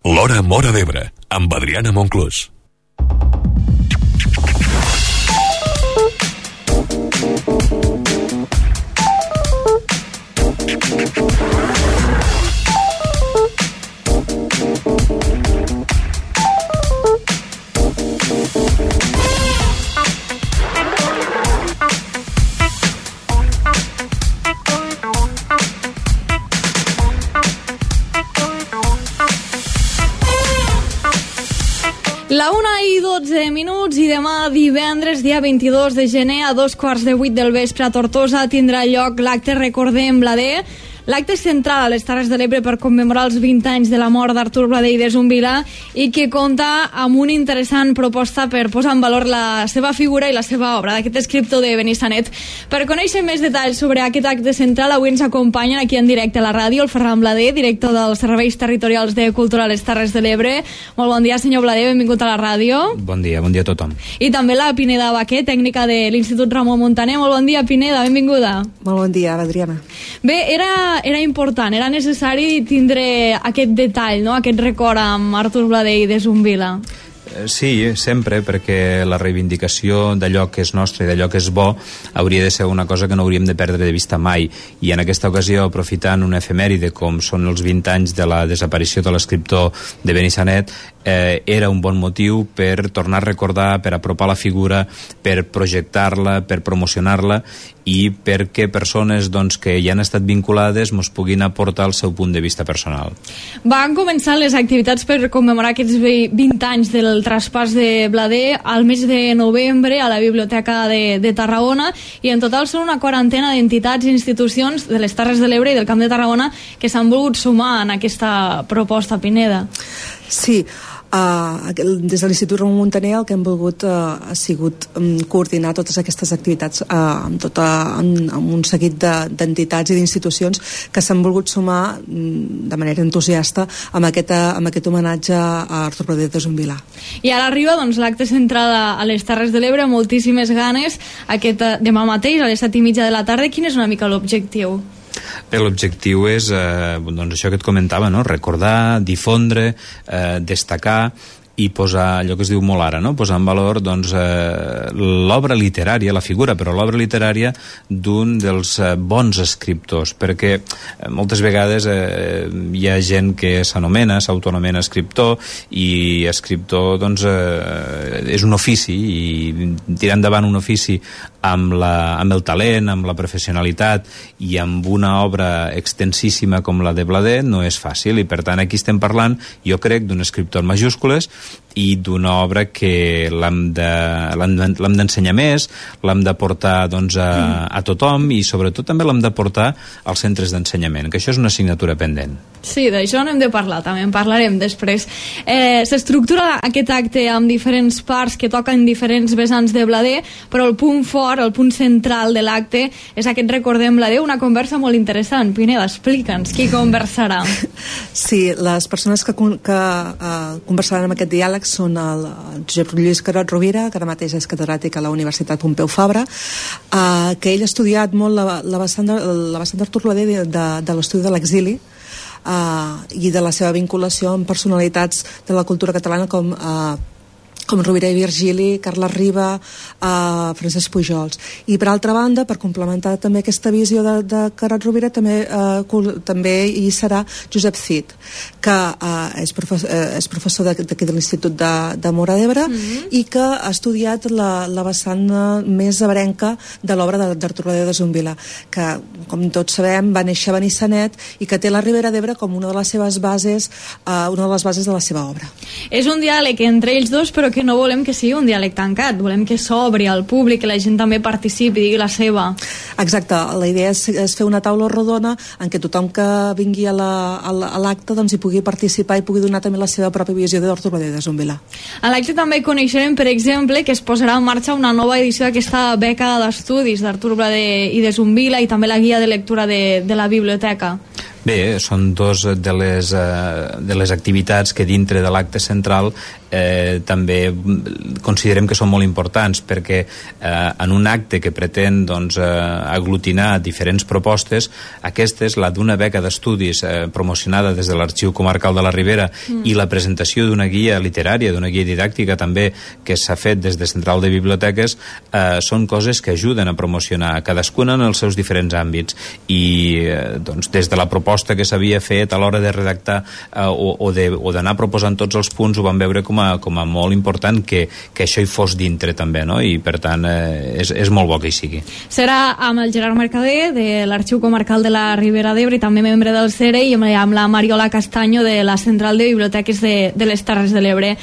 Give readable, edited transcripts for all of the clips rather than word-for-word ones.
L'Hora Móra d'Ebre, amb Adriana Monclús. La 1:12 i demà divendres, dia 22 de gener, a 7:15 del vespre a Tortosa tindrà lloc l'acte Recordem Blader. L'acte central a les Terres de l'Ebre per commemorar els 20 anys de la mort d'Artur Blader i de Zumbila i que compta amb una interessant proposta per posar en valor la seva figura i la seva obra d'aquest escriptor de Benissanet. Per conèixer més detalls sobre aquest acte central, avui ens acompanyen aquí en directe a la ràdio el Ferran Blader, director dels Serveis Territorials de Cultura a les Terres de l'Ebre. Molt bon dia, senyor Blader, benvingut a la ràdio. Bon dia a tothom. I també la Pineda Baquer, tècnica de l'Institut Ramon Muntaner. Molt bon dia, Pineda, benvinguda. Molt bon dia, Adriana. Bé, era important, era necessari tindre aquest detall, no? Aquest record amb Artur Blader i de Zumbila. Sí, sempre, perquè la reivindicació d'allò que és nostre i d'allò que és bo hauria de ser una cosa que no hauríem de perdre de vista mai. I en aquesta ocasió, aprofitant una efemèride com són els 20 anys de la desaparició de l'escriptor de Benissanet, era un bon motiu per tornar a recordar, per apropar la figura, per projectar-la, per promocionar-la i perquè persones que hi han estat vinculades mos puguin aportar el seu punt de vista personal. Van començar les activitats per commemorar aquests 20 anys del traspàs de Blader al mes de novembre a la Biblioteca de Tarragona i en total són una quarantena d'entitats i institucions de les Terres de l'Ebre i del Camp de Tarragona que s'han volgut sumar en aquesta proposta, Pineda. Sí, des de l'Institut Ramon Muntaner el que hem volgut ha sigut coordinar totes aquestes activitats amb un seguit d'entitats i d'institucions que s'han volgut sumar de manera entusiasta amb aquest homenatge a Artur Blader de Zumbila. I ara arriba l'acte central a les Terres de l'Ebre, moltíssimes ganes, demà mateix a les 7:30 de la tarda. Quin és una mica l'objectiu? Bé, l'objectiu és això que et comentava, no? Recordar, difondre, destacar i posar allò que es diu molt ara, no? Posar en valor l'obra literària, la figura, però l'obra literària d'un dels bons escriptors, perquè moltes vegades hi ha gent que s'autoanomena escriptor, i escriptor és un ofici, i tirar endavant un ofici amb el talent, amb la professionalitat i amb una obra extensíssima com la de Blader no és fàcil, i per tant aquí estem parlant, jo crec, d'un escriptor en majúscules i d'una obra que l'hem d'ensenyar més, l'hem de portar a tothom i sobretot també l'hem de portar als centres d'ensenyament, que això és una assignatura pendent. Sí, d'això n'hem de parlar, també en parlarem després. S'estructura aquest acte amb diferents parts que toquen diferents vessants de Blader, però el punt fort, el punt central de l'acte és aquest Recordem Blader, una conversa molt interessant. Pineda, explica'ns, qui conversarà? Sí, les persones que conversaran en aquest diàleg són el Josep Lluís Carot Rovira, que ara mateix és catedràtic a la Universitat Pompeu Fabra, que ell ha estudiat molt la vessant d'Artur Blader de l'estudi de l'exili i de la seva vinculació amb personalitats de la cultura catalana com Rovira i Virgili, Carles Riba, Francesc Pujols. I per altra banda, per complementar també aquesta visió de Carot Rovira, també hi serà Josep Cid, que és professor d'aquí de l'Institut de Móra d'Ebre i que ha estudiat la vessant més ebrenca de l'obra d'Artur Blader de Zumbila, que, com tots sabem, va néixer a Benissanet i que té la Ribera d'Ebre com una de les seves bases, una de les bases de la seva obra. És un diàleg entre ells dos, però que no volem que sigui un diàleg tancat, volem que s'obri al públic, que la gent també participi, digui la seva. Exacte, la idea és fer una taula rodona en què tothom que vingui a l'acte hi pugui participar i pugui donar també la seva pròpia visió d'Artur Blader de Zumbila. A l'acte també coneixerem, per exemple, que es posarà en marxa una nova edició d'aquesta beca d'estudis d'Artur Blader i de Zumbila i també la guia de lectura de la biblioteca. Bé, són dos de les activitats que dintre de l'acte central també considerem que són molt importants, perquè en un acte que pretén aglutinar diferents propostes, aquesta és la d'una beca d'estudis promocionada des de l'Arxiu Comarcal de la Ribera i la presentació d'una guia literària, d'una guia didàctica també que s'ha fet des de Central de Biblioteques, són coses que ajuden a promocionar cadascuna en els seus diferents àmbits, i des de la proposta que s'havia fet a l'hora de redactar o d'anar proposant tots els punts, ho vam veure com a molt important que això hi fos dintre també, no? I per tant és molt bo que hi sigui. Serà amb el Gerard Mercader de l'Arxiu Comarcal de la Ribera d'Ebre i també membre del CERE, i amb la Mariola Castaño de la Central de Biblioteques de les Terres de l'Ebre.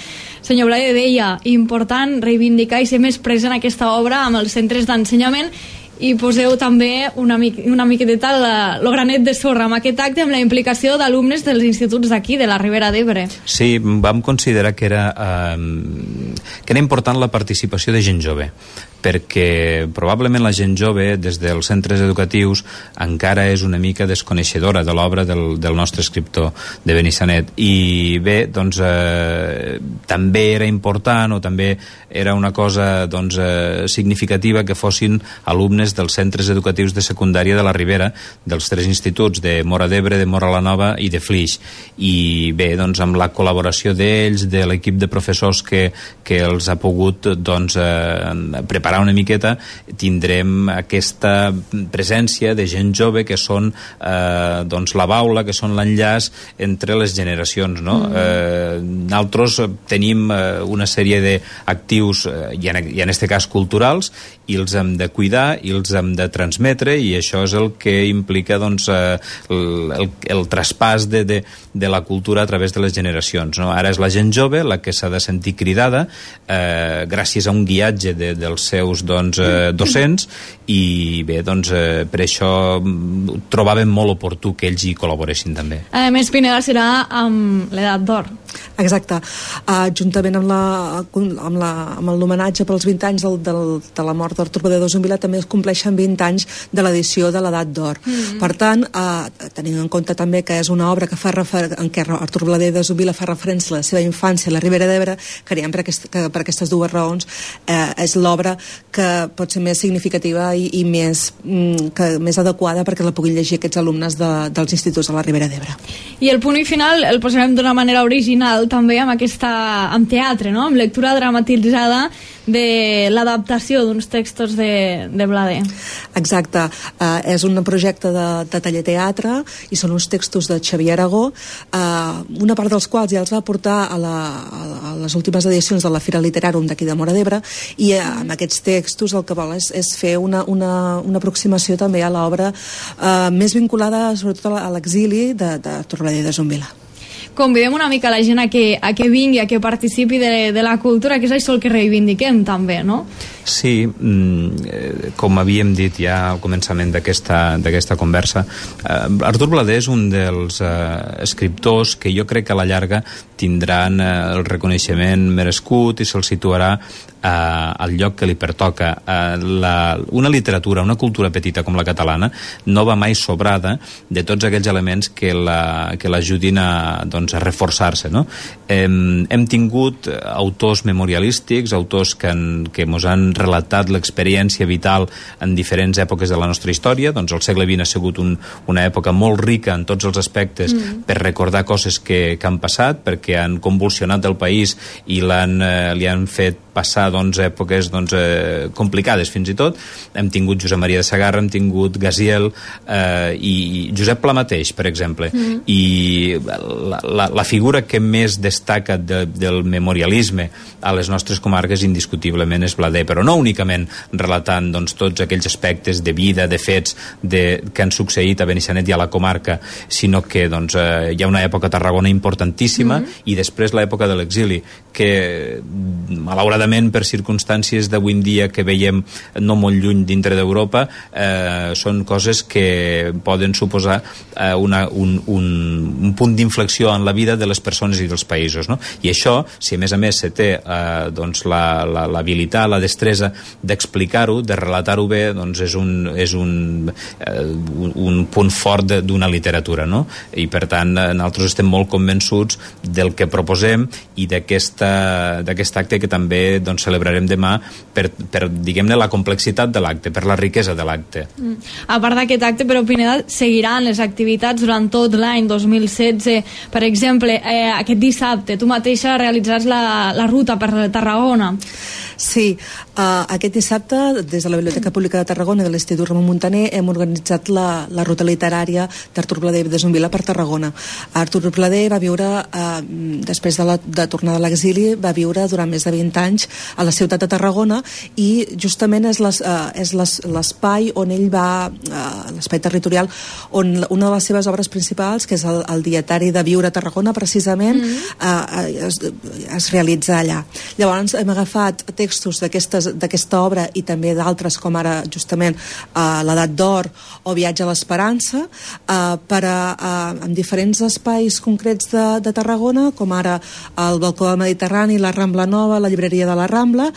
Senyor Blade, deia, important reivindicar i ser més present en aquesta obra amb els centres d'ensenyament, i poseu també una miqueta el granet de sorra amb aquest acte, amb la implicació d'alumnes dels instituts d'aquí, de la Ribera d'Ebre. Sí, vam considerar que era important la participació de gent jove, perquè probablement la gent jove des dels centres educatius encara és una mica desconeixedora de l'obra del nostre escriptor de Benissanet, i bé, també era important, o també era una cosa significativa, que fossin alumnes dels centres educatius de secundària de la Ribera, dels 3 instituts de Móra d'Ebre, de Móra la Nova i de Flix, i bé, amb la col·laboració d'ells, de l'equip de professors que els ha pogut preparar una miqueta, tindrem aquesta presència de gent jove que són la baula, que són l'enllaç entre les generacions, no? Nosaltres tenim una sèrie d'actius, i en aquest cas culturals, i els hem de cuidar i els hem de transmetre, i això és el que implica el traspàs de la cultura a través de les generacions, no? Ara és la gent jove la que s'ha de sentir cridada gràcies a un guiatge dels seus docents, i bé, per això trobàvem molt oportú que ells hi col·laboressin també. A més, Pineda, serà amb l'edat d'or. Exacte, juntament amb l'homenatge pels 20 anys de la mort d'Artur Blader de Zumbila, també es compleixen 20 anys de l'edició de l'edat d'or. Per tant, tenint en compte també que és una obra en què Artur Blader de Zumbila fa referència a la seva infància a la Ribera d'Ebre, creiem que per aquestes dues raons és l'obra que pot ser més significativa i més adequada perquè la puguin llegir aquests alumnes dels instituts de la Ribera d'Ebre. I el punt i final el posarem d'una manera original també amb teatre, no? Amb lectura dramatitzada de l'adaptació d'uns textos de Blader. Exacte, és un projecte de taller-teatre i són uns textos de Xavier Aragó, una part dels quals ja els va portar a les últimes edicions de la Fira Literàrum d'aquí de Móra d'Ebre, i amb aquests textos el que vol és fer una aproximació també a l'obra més vinculada sobretot a l'exili d'Artur Blader de Zumbila. Convidem una mica la gent a que vingui, a que participi de la cultura, que és això el que reivindiquem també, no? Sí, com havíem dit ja al començament d'aquesta conversa, Artur Blader és un dels escriptors que jo crec que a la llarga tindran el reconeixement merescut i se'l situarà al lloc que li pertoca. Una literatura, una cultura petita com la catalana no va mai sobrada de tots aquells elements que l'ajudin a reforçar-se, no? Hem tingut autors memorialístics, autors que mos han relatat l'experiència vital en diferents èpoques de la nostra història. El segle XX ha sigut una època molt rica en tots els aspectes per recordar coses que han passat, perquè han convulsionat el país i li han fet passar èpoques complicades fins i tot. Hem tingut Josep Maria de Sagarra, hem tingut Gaziel i Josep Pla mateix, per exemple. I la figura que més destaca del memorialisme a les nostres comarques indiscutiblement és Blader, però no únicament relatant tots aquells aspectes de vida, de fets que han succeït a Benissanet i a la comarca, sinó que hi ha una època a Tarragona importantíssima i després l'època de l'exili, que malauradament per circumstàncies d'avui en dia que veiem no molt lluny dintre d'Europa, són coses que poden suposar un punt d'inflexió en la vida de les persones i dels països, no? I això, si a més se té l'habilitat, la destresa destresa d'explicar-ho, de relatar-ho bé, doncs és un punt fort d'una literatura, no? I per tant nosaltres estem molt convençuts del que proposem i d'aquest acte que també doncs, celebrarem demà per diguem-ne, la complexitat de l'acte, per la riquesa de l'acte. A part d'aquest acte, però, Pineda, seguiran les activitats durant tot l'any 2016. Per exemple, aquest dissabte tu mateixa realitzaràs la ruta per Tarragona. Sí, aquest dissabte des de la Biblioteca Pública de Tarragona i de l'Institut Ramon Muntaner hem organitzat la ruta literària d'Artur Blader de Zumbila per Tarragona. Artur Blader va viure, després de tornar de l'exili, va viure durant més de 20 anys a la ciutat de Tarragona i justament és l'espai on ell va, l'espai territorial, on una de les seves obres principals, que és el dietari de Viure a Tarragona, precisament, es realitza allà. Llavors hem agafat textos d'aquesta obra i també d'altres com ara justament l'Edat d'Or o Viatge a l'Esperança en diferents espais concrets de Tarragona, com ara el Balcó del Mediterrani, la Rambla Nova, la llibreria de la Rambla,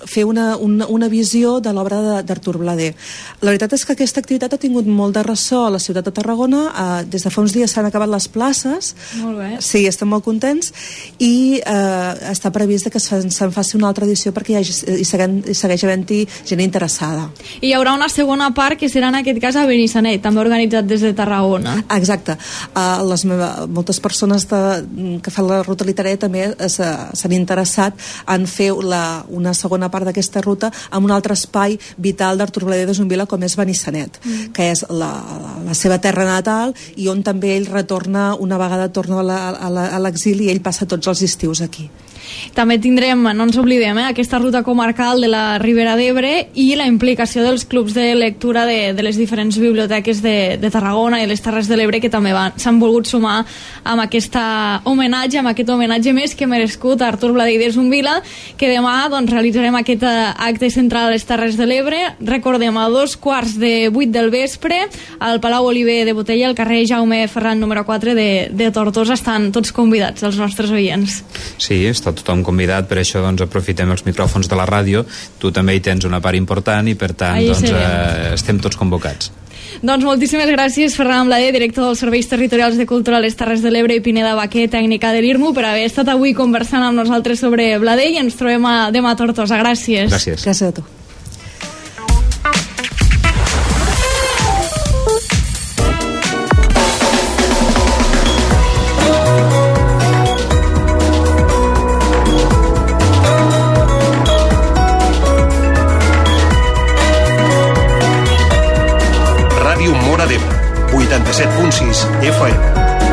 fer una visió de l'obra d'Artur Blader. La veritat és que aquesta activitat ha tingut molt de ressò a la ciutat de Tarragona. Des de fa uns dies s'han acabat les places. Molt bé. Sí, estem molt contents i està previst que se'n faci una altra edició perquè hi segueix havent-hi gent interessada. I hi haurà una segona part que serà en aquest cas a Benissanet, també organitzat des de Tarragona. Exacte. Moltes persones que fan la ruta literària també s'han interessat en fer una segona part d'aquesta ruta en un altre espai vital d'Artur Blader de Zumbila com és Benissanet, que és la seva terra natal i on també ell retorna, una vegada torna a l'exili, i ell passa tots els estius aquí. També tindrem, no ens oblidem, aquesta ruta comarcal de la Ribera d'Ebre i la implicació dels clubs de lectura de les diferents biblioteques de Tarragona i les Terres de l'Ebre, que també s'han volgut sumar amb aquest homenatge més que merescut a Artur Blader de Zumbila, que demà realitzarem aquest acte central a les Terres de l'Ebre. Recordem, a 7:15 del vespre, al Palau Oliver de Botella, al carrer Jaume Ferran número 4 de Tortosa. Estan tots convidats, els nostres oients. Sí, està tothom convidat, per això aprofitem els micròfons de la ràdio. Tu també hi tens una part important i per tant estem tots convocats. Doncs moltíssimes gràcies, Ferran Blader, director dels Serveis Territorials de Cultura a les Terres de l'Ebre, i Pineda Baquer, tècnica de l'IRMU, per haver estat avui conversant amb nosaltres sobre Blader, i ens trobem demà a Tortosa. Gràcies. Gràcies a tu. Ràdio Móra d'Ebre, 87.6 FM.